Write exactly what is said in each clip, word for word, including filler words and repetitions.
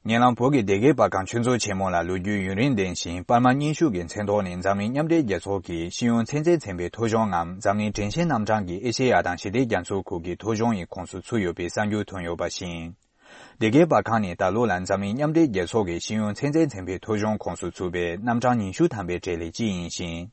ཉེ་ལམ་བོད་ཀྱི་སྡེ་དགེ་པར་ཁང་ཆོས་མཛོད་ཆེན་མོ་ལ་ལོ་རྒྱུས་ཡུན་རིང་ལྡན་ཞིང་པར་མ་རྙིང་ཤོས་ཀྱི་མཚན་ཐོག་ནས་འཛམ་གླིང་མཉམ་འབྲེལ་རྒྱལ་ཚོགས་ཀྱི་ཤེས་ཡོན་ཚན་རྩལ་ཚན་པའི་ཐོ་གཞུང་ངམ་འཛམ་གླིང་དྲན་ཤེས་རྣམ་གྲངས་ཀྱི་ཨེ་ཤེ་ཡ་དང་ཞི་བདེ་རྒྱ་མཚོའི་ཁུལ་གྱི་ཐོ་གཞུང་ཡི་ཁོངས་སུ་ཚུད་ཡོད་པའི་གསར་འགྱུར་ཐོན་ཡོད་པ་བཞིན། སྡེ་དགེ་པར་ཁང་ནི་ད་ལོ་ལ་འཛམ་གླིང་མཉམ་འབྲེལ་རྒྱལ་ཚོགས་ཀྱི་ཤེས་ཡོན་ཚན་རྩལ་ཚན་པའི་ཐོ་གཞུང་ཁོངས་སུ་ཚུད་པའི་རྣམ་གྲངས་ཉི་ཤུ་ཐམ་པའི་གྲས་ལས་གཅིག་ཡིན་ཞིང་།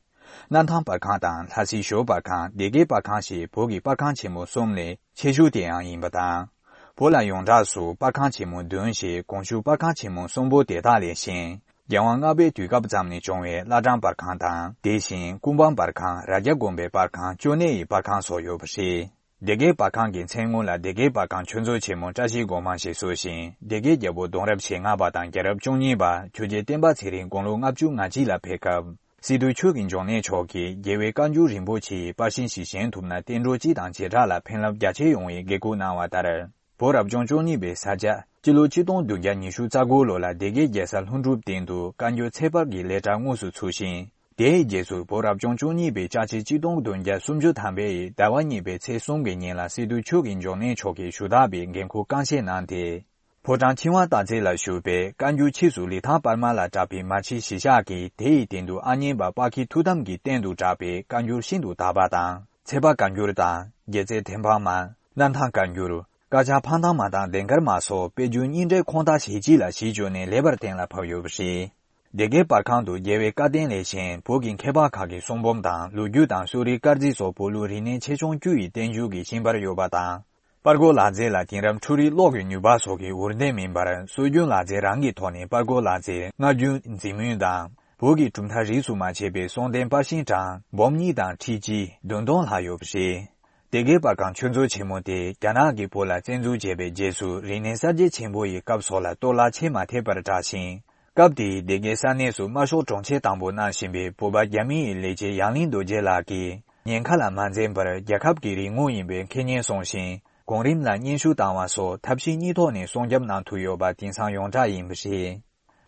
གནམ་ཐང་པར་ཁང་དང་ལྷ་སའི་ཞོལ་པར་ཁང་སྡེ་དགེ་པར་ཁང་ཞེས་བོད་ཀྱི་པར་ཁང་ཆེན་མོ་གསུམ་ལས་ཆེ་ཤོས་དེའང་ཡིན་པ་དང་། བོད་ལ་ཡོངས་གྲགས་སུ་པར་ཁང་ཆེན་མོ་བདུན་ཞེས་གོང་ཞུས་པར་ཁང་ཆེན་མོ་གསུམ་པོ་དེ་དག་ལས་གཞན། རྒྱལ་དབང་ལྔ་པའི་དུས་སྐབས་ཙམ་ནས་བྱུང་བའི་བླ་བྲང་པར་ཁང་དང་དེ་བཞིན་ཀུན་སྤངས་པར་ཁང་རྭ་རྒྱ་དགོན་པའི་པར་ཁང་ཅོ་ནེ་ཡི་པར་ཁང་སོགས་ཡོད་པ་རེད། སྡེ་དགེ་པར་ཁང་གི་མཚན་དངོས་ལ་སྡེ་དགེ་པར་ཁང་ཆོས་མཛོད་ཆེན་མོ་བཀྲ་ཤིས་སྒོ་མང་ཞེས་གསོལ་ཞིང་སྡེ་དགེ་རྒྱལ་པོ་གདུང་རབས་ཞེ་ལྔ་པ་དང་རྒྱལ་རབས་བཅུ་གཉིས་པ་ཆོས་རྒྱལ་བསྟན་པ་ཚེ་རིང་དགུང་ལོ་ལྔ་བཅུ་ང་གཅིག་ལ་ཕེབས་སྐབས། སི་ཏུ་ཆོས་ཀྱི་འབྱུང་གནས་མཆོག་གིས་རྒྱལ་བའི་བཀའ་འགྱུར་རིན་པོ་ཆེའི་པར་ཤིང་ཞིག་བཞེངས་ཐུབ་ན་བསྟན་འགྲོ་སྤྱི་དང་བྱེ་བྲག་ལ་ཕན་རླབས་རྒྱ་ཆེ་ཡོང་བའི་དགེ་སྐུལ་གནང་བ་ལྟར། བོད་རབ་བྱུང་བཅུ་གཉིས་པའི་ས་བྱ་སྤྱི་ལོ་ཆིག་སྟོང་བདུན་བརྒྱ་ཉི་ཤུ་རྩ་དགུ་ལོ་ལ་སྡེ་དགེ་རྒྱལ་ས་ལྷུན་གྲུབ་སྟེང་དུ་བཀའ་འགྱུར་ཚེས་པར་གྱི་ལས་གྲྭ་དངོས་སུ་ཚུགས་ཤིང་། དེའི་རྗེས་སུ་བོད་རབ་བྱུང་བཅུ་གཉིས་པའི་ལྕགས་བྱི་ཆིག་སྟོང་བདུན་བརྒྱ་སུམ་ཅུ་ཐམ་པའི་ཟླ་བ་གཉིས་པའི་ཚེས་གསུམ་གྱི་ཉིན་ལ་སི་ཏུ་ཆོས་ཀྱི་འབྱུང་གནས་མཆོག་གིས་ཞུ་དག་པའི་འགན་ཁུར་རྐང་བཞེས་གནང་སྟེ། ཕོ་བྲང་ཆེ་བ་སྟག་རྩེ་ལ་བཞུགས་པའི་བཀའ་འགྱུར་ཕྱིས་སུ་ལི་ཐང་པར་མ་ལ་གྲགས་པའི་མ་ཕྱི་གཞིས་ཆགས་ཀྱིས་དེ་ཡི་སྟེང་དུ་ཨ་མྱེས་པ་དཔལ་མཁྱེན་ཐུགས་དམ་གྱི་རྟེན་དུ་གྲགས་པའི་བཀའ་འགྱུར་ཤིན་ཏུ་དག་པ་དང་ཚེས་པ་བཀའ་འགྱུར་དང་རྒྱལ་རྩེ་ཐེམ་སྤང་མ། གནམ་ཐང་བཀའ་འགྱུར། དཀར་ཆག་འཕང་ཐང་མ་དང་ལྡན་དཀར་མ་སོགས་དཔེ་རྒྱུན་རྙིང་གྲས་ཁོངས་དག་ཞེ་གཅིག་ལ་གཞི་བཅོལ་ནས་ལེགས་པར་གཏན་ལ་ཕབ་ཡོད་པ་རེད། སྡེ་དགེ་པར་ཁང་དུ་རྒྱལ་བའི་བཀའ་བསྟན་ལས་གཞན་བོད་ཀྱི་མཁས་པ་ཁག་གི་གསུང་འབུམ་དང་ལོ་རྒྱུས་དང་གསོ་རིག་སྐར་རྩིས་སོགས་བོད་ལུགས་རིག་གནས་ཆེ་ཆུང་བཅུ་ཡི་བསྟན་བཅོས་ཀྱི་ཤིང་པར་ཡོད་པ་དང་། པར་རྐོ་ལག་རྩལ་ལ་དེང་རབས་འཕྲུལ་རིག་གློག་གི་ནུས་པ་སོགས་ཀྱི་འུར་འདོན་མིན་པར་སྲོལ་རྒྱུན་ལག་རྩལ་རང་གི་ཐོག་ནས་པར་རྐོ་ལག་རྩལ་སྔར་རྒྱུན་འཛིན་མུས་དང་བོད་ཀྱི་གྲུབ་མཐའ་རིས་སུ་མ་ཆད་པའི་གསུང་རྟེན་པར་ཤིང་གྲངས་འབུམ་གཉིས་དང་ཁྲི་གཅིག་བདུན་སྟོང་ལྷག་ཡོད་པ་རེད། སྡེ་དགེ་པར་ཁང་ཆོས་མཛོད་ཆེན་མོ་དེ་རྒྱ་ནག་གིས་བོད་ལ་བཙན་འཛུལ་བྱས་པའི་རྗེས་སུ་རིག་གནས་གསར་བརྗེ་ཆེན་པོ་ཡི་སྐབས་སོགས་ལ་གཏོར་བརླག་ཆེས་མ་ཐེབས་པར་བསྒྲགས་ཤིང་། སྐབས་དེའི་སྡེ་དགེ་ས་གནས་སུ་དམར་ཤོག་དྲུང་ཆེ་དང་པོ་གནང་བཞིན་པའི་བོད་པ་རྒྱ་མི་ཡི་ལས་བྱེད་ཡང་གླིང་རྡོ་རྗེ་ལགས་ཀྱིས་ཉེན་ཁ་ལ་མ་འཛེམས་པར་རྒྱལ་ཁབ་ཀྱི་རིག་དངོས་ཡིན་པའི་འཁེལ་ཉེན་སྲུང་ཞིང་གོང་རིམ་ལ་སྙན་ཞུ་བཏང་བ་སོགས་ཐབས་ཤེས་གཉིས་ཐོག་ནས་སྲུང་སྐྱོབ་གནང་ཐུབ་ཡོད་པ་དེང་སང་ཡོངས་གྲགས་ཡིན་པ་རེད།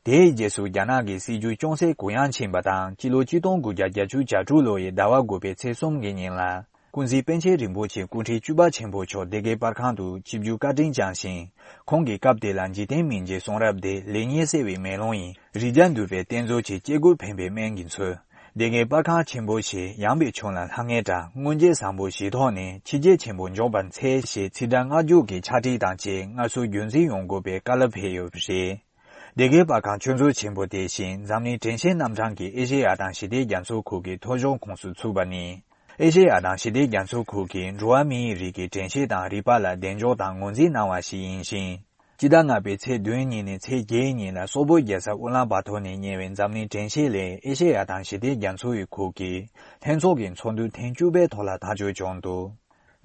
དེའི་རྗེས་སུ་རྒྱ་ནག་གི་སྲིད་བྱུས་ཅུང་ཟད་གུ་ཡངས་ཕྱིན་པ་དང་སྤྱི་ལོ་ཆིག་སྟོང་དགུ་བརྒྱ་བརྒྱད་ཅུ་གྱ་དྲུག་ལོ་ཡི་ཟླ་བ་དགུ་པའི་ཚེས་གསུམ་གྱི་ཉིན་ལ། ཀུན་གཟིགས་པཎ་ཆེན་རིན་པོ་ཆེ་སྐུ་ཕྲེང་བཅུ་པ་ཆེན་པོ་མཆོག་སྡེ་དགེ་པར་ཁང་དུ་ཆིབས་བསྒྱུར་བཀའ་དྲིན་བསྐྱངས་ཤིང་། ཁོང་གིས་སྐབས་དེ་ལ་འཇིག་རྟེན་མི་མཇེད་གསུང་རབ་དེ་ལེགས་ཉེས་གསལ་བའི་མེ་ལོང་ཡིན། རིགས་བརྒྱ་འདུས་པའི་གཏེར་མཛོད་ཆེ། སྐྱེ་དགུར་ཕན་པའི་སྨན་གྱིས་འཚོལ། སྡེ་དགེ་པར་ཁང་ཆེན་པོ་ཞེས་ཡངས་པའི་ཁྱོན་ལ་ལྷང་ངེ་དྲག། སྔོན་རྗེས་བཟང་པོ་བཞིའི་ཐོག་ནས་ཕྱི་རྗེས་ཆེན་པོ་འཇོག་པར་འཚལ་ཞེས་ཚིག་སྒྲ་བསྔགས་འཇུག་གི་ཕྱག་བྲིས་དང་བཅས་སྔར་སྲོལ་རྒྱུན་འཛིན་ཡོང་དགོས་པའི་བཀའ་སློབ་ཕེབས་ཡོད་པ་རེད། སྡེ་དགེ་པར་ཁང་ཆོས་མཛོད་ཆེན་པོ་དེ་བཞིན་འཛམ་གླིང་དྲན་ཤེས་རྣམ་གྲངས་ཀྱི་ཨེ་ཤེ་ཡ་དང་ཞི་བདེ་རྒྱ་མཚོའི་ཁུལ་གྱི་ཐོ་གཞུང་ཁོངས་སུ་ཚུད་པ་ནི། ཨེ་ཤེ་ཡ་དང་ཞི་བདེ་རྒྱ་མཚོའི་ཁུལ་གྱི་འགྲོ་བ་མིའི་རིགས་ཀྱི་དྲན་ཤེས་དང་རིག་པ་ལ་གདེང་འཇོག་དང་ངོས་འཛིན་གནང་བ་ཞིག་ཡིན་ཞིང་། སྤྱི་ཟླ་ལྔ་པའི་ཚེས་བདུན་ཉིན་ནས་ཚེས་བརྒྱད་ཉིན་ལ་སོག་པོའི་རྒྱལ་ས་ཨུ་ལན་བཱ་ཐོར་ནས་གཉེར་བའི་འཛམ་གླིང་དྲན་ཤེས་ལས་ཨེ་ཤེ་ཡ་དང་ཞི་བདེ་རྒྱ་མཚོ་ཡི་ཁུལ་གྱི་ལྷན་ཚོགས་ཀྱི་ཚོགས་འདུ་ཐེངས་བཅུ་པའི་ཐོག་ལ་ཐག་གཅོད་བྱུང་འདུག་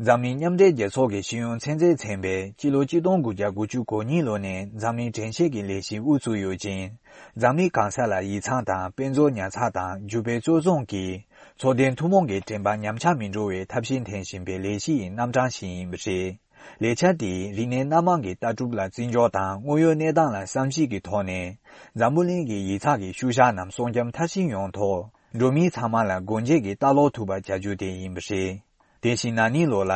འཛམ་གླིང་མཉམ་འབྲེལ་རྒྱལ་ཚོགས་ཀྱི་ཤེས་ཡོན་ཚན་རྩལ་ཚན་པས་སྤྱི་ལོ་ཆིག་སྟོང་དགུ་བརྒྱ་དགུ་བཅུ་གོ་གཉིས་ལོ་ནས་འཛམ་གླིང་དྲན་ཤེས་ཀྱི་ལས་གཞི་དབུ་བཙུགས་ཡོད་ཅིང་། འཛམ་གླིང་གང་ས་ལ་ཡིག་ཚང་དང་དཔེ་མཛོད་ཉར་ཚགས་དང་རྒྱུ་སྤེལ་གཙོ་བཟུང་གིས་ཚོགས་སྡེ་ཐུན་མོང་གི་དྲན་པ་ཉམས་ཆག་མི་འགྲོ་བའི་ཐབས་ཤེས་འཐེན་བཞིན་པའི་ལས་གཞི་ཡི་རྣམ་གྲངས་ཤིག་ཡིན་པ་རེད། ལས་འཆར་དེས་རིག་གནས་སྣ་མང་གི་ལྟ་གྲུབ་ལ་བརྩི་འཇོག་དང་དངོས་ཡོད་གནས་སྟངས་ལ་བསམ་གཞིག་གི་ཐོག་ནས། འཛམ་བུ་གླིང་གི་ཡིག་ཚགས་ཀྱི་ཤུལ་བཞག་རྣམས་སྲུང་སྐྱོབ་མཐར་ཕྱིན་ཡོང་ཐོག་འགྲོ་མི་ཚང་མ་ལ་སྒོ་འབྱེད་ཀྱིས་ལྟ་ཀློག་ཐུབ་པ་བྱ་རྒྱུ་དེ་ཡིན་པ་རེད། དེ་བཞིན་ན་ནིང་ལོ་ལ།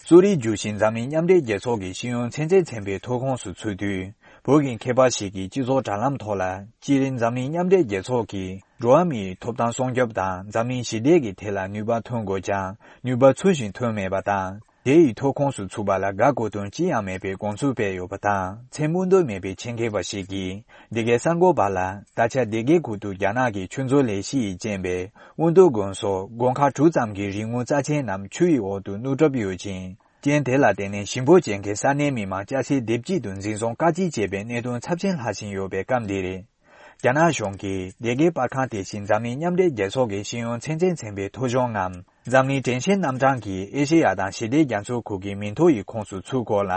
གསོ་རིག་བསྒྱུར་ཞིང་འཛམ་གླིང་མཉམ་འབྲེལ་རྒྱལ་ཚོགས་ཀྱི་ཤེས་ཡོན་ཚན་རྩལ་ཚན་པའི་ཐོ་ཁོངས་སུ་ཚུད་དུས། བོད་ཀྱི་མཁས་པ་ཞིག་གིས་སྤྱི་ཚོགས་དྲ་ལམ་ཐོག་ལ། སྤྱིར་འཛམ་གླིང་མཉམ་འབྲེལ་རྒྱལ་ཚོགས་ཀྱིས་འགྲོ་བ་མིའི་ཐོབ་ཐང་སྲུང་སྐྱོབ་དང་འཛམ་གླིང་ཞི་བདེ་གི་ཐད་ལ་ནུས་པ་ཐོན་དགོས་ཀྱང་ནུས་པ་ཚུལ་བཞིན་ཐོན་མེད་པ་དང་། དེ་ཡི་ཐོ་ཁོངས་སུ་ཚུད་པ་ལ་དགའ་གོ་དོན་ཅི་ཡང་མེད་པའི་དགོངས་ཚུལ་སྤེལ་ཡོད་པ་དང་། མཚན་སྨོས་འདོད་མེད་པའི་ཆེད་མཁས་པ་ཞིག་གིས། སྡེ་དགེ་གསར་འགོད་པ་ལ། ད་ཆ་སྡེ་དགེ་ཁུལ་དུ་རྒྱ་ནག་གི་ཆོས་མཛོད་ལས་གཞི་ཡིས་བཅིངས་པའི་དབོན་སྟོད་དགོན་སོགས་དགོན་ཁག་དྲུག་ཙམ་གྱི་རིག་དངོས་རྩ་ཆེན་རྣམས་ཆུ་ཡི་འོག་ཏུ་བསྣུབས་གྲབས་ཡོད་ཅིང་། རྐྱེན་དེ་ལ་བརྟེན་ནས་ཞིང་ཕོ་ཅན་གྱི་ས་གནས་མི་མང་སྐྱ་སེར་སྡེབ་གཅིག་ཏུ་འཛིན་བཟུང་བཀག་སྐྱིལ་བྱས་པའི་གནད་དོན་ཚབས་ཆེན་ལྷག་བཞིན་ཡོད་པའི་སྐབས་འདིར། རྒྱ་ནག་གཞུང་གིས་སྡེ་དགེ་པར་ཁང་དེ་བཞིན་འཛམ་གླིང་མཉམ་འབྲེལ་རྒྱལ་ཚོགས་ཀྱི་ཤེས་ཡོན་ཚན་རྩལ་ཚན་པའི་ཐོ་གཞུང་ངམ། འཛམ་གླིང་དྲན་ཤེས་རྣམ་གྲངས་ཀྱིས་ཨེ་ཤེ་ཡ་དང་ཞི་བདེ་རྒྱ་མཚོའི་ཁུལ་གྱི་མིང་ཐོ་ཡི་ཁོངས་སུ་ཚུད་སྐོར་ལ།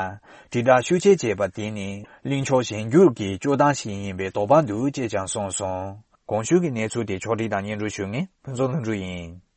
དྲིལ་བསྒྲགས་ཤུགས་ཆེ་བྱས་པ་དེ་ནི། གླེང་ཕྱོགས་གཞན་འགྱུར་གྱི་སྤྱོད་སྟངས་ཤིག་ཡིན་པའི་དོགས་པ་འདུག་ཅེས་ཀྱང་གསུངས་སོང་། གོང་ཞུས་ཀྱི་གནས་ཚུལ་དེ་ཕྱོགས་སྒྲིག་དང་སྙན་སྒྲོན་ཞུ་མཁན་ཕུན་ཚོགས་ལྷུན་གྲུབ་ཡིན།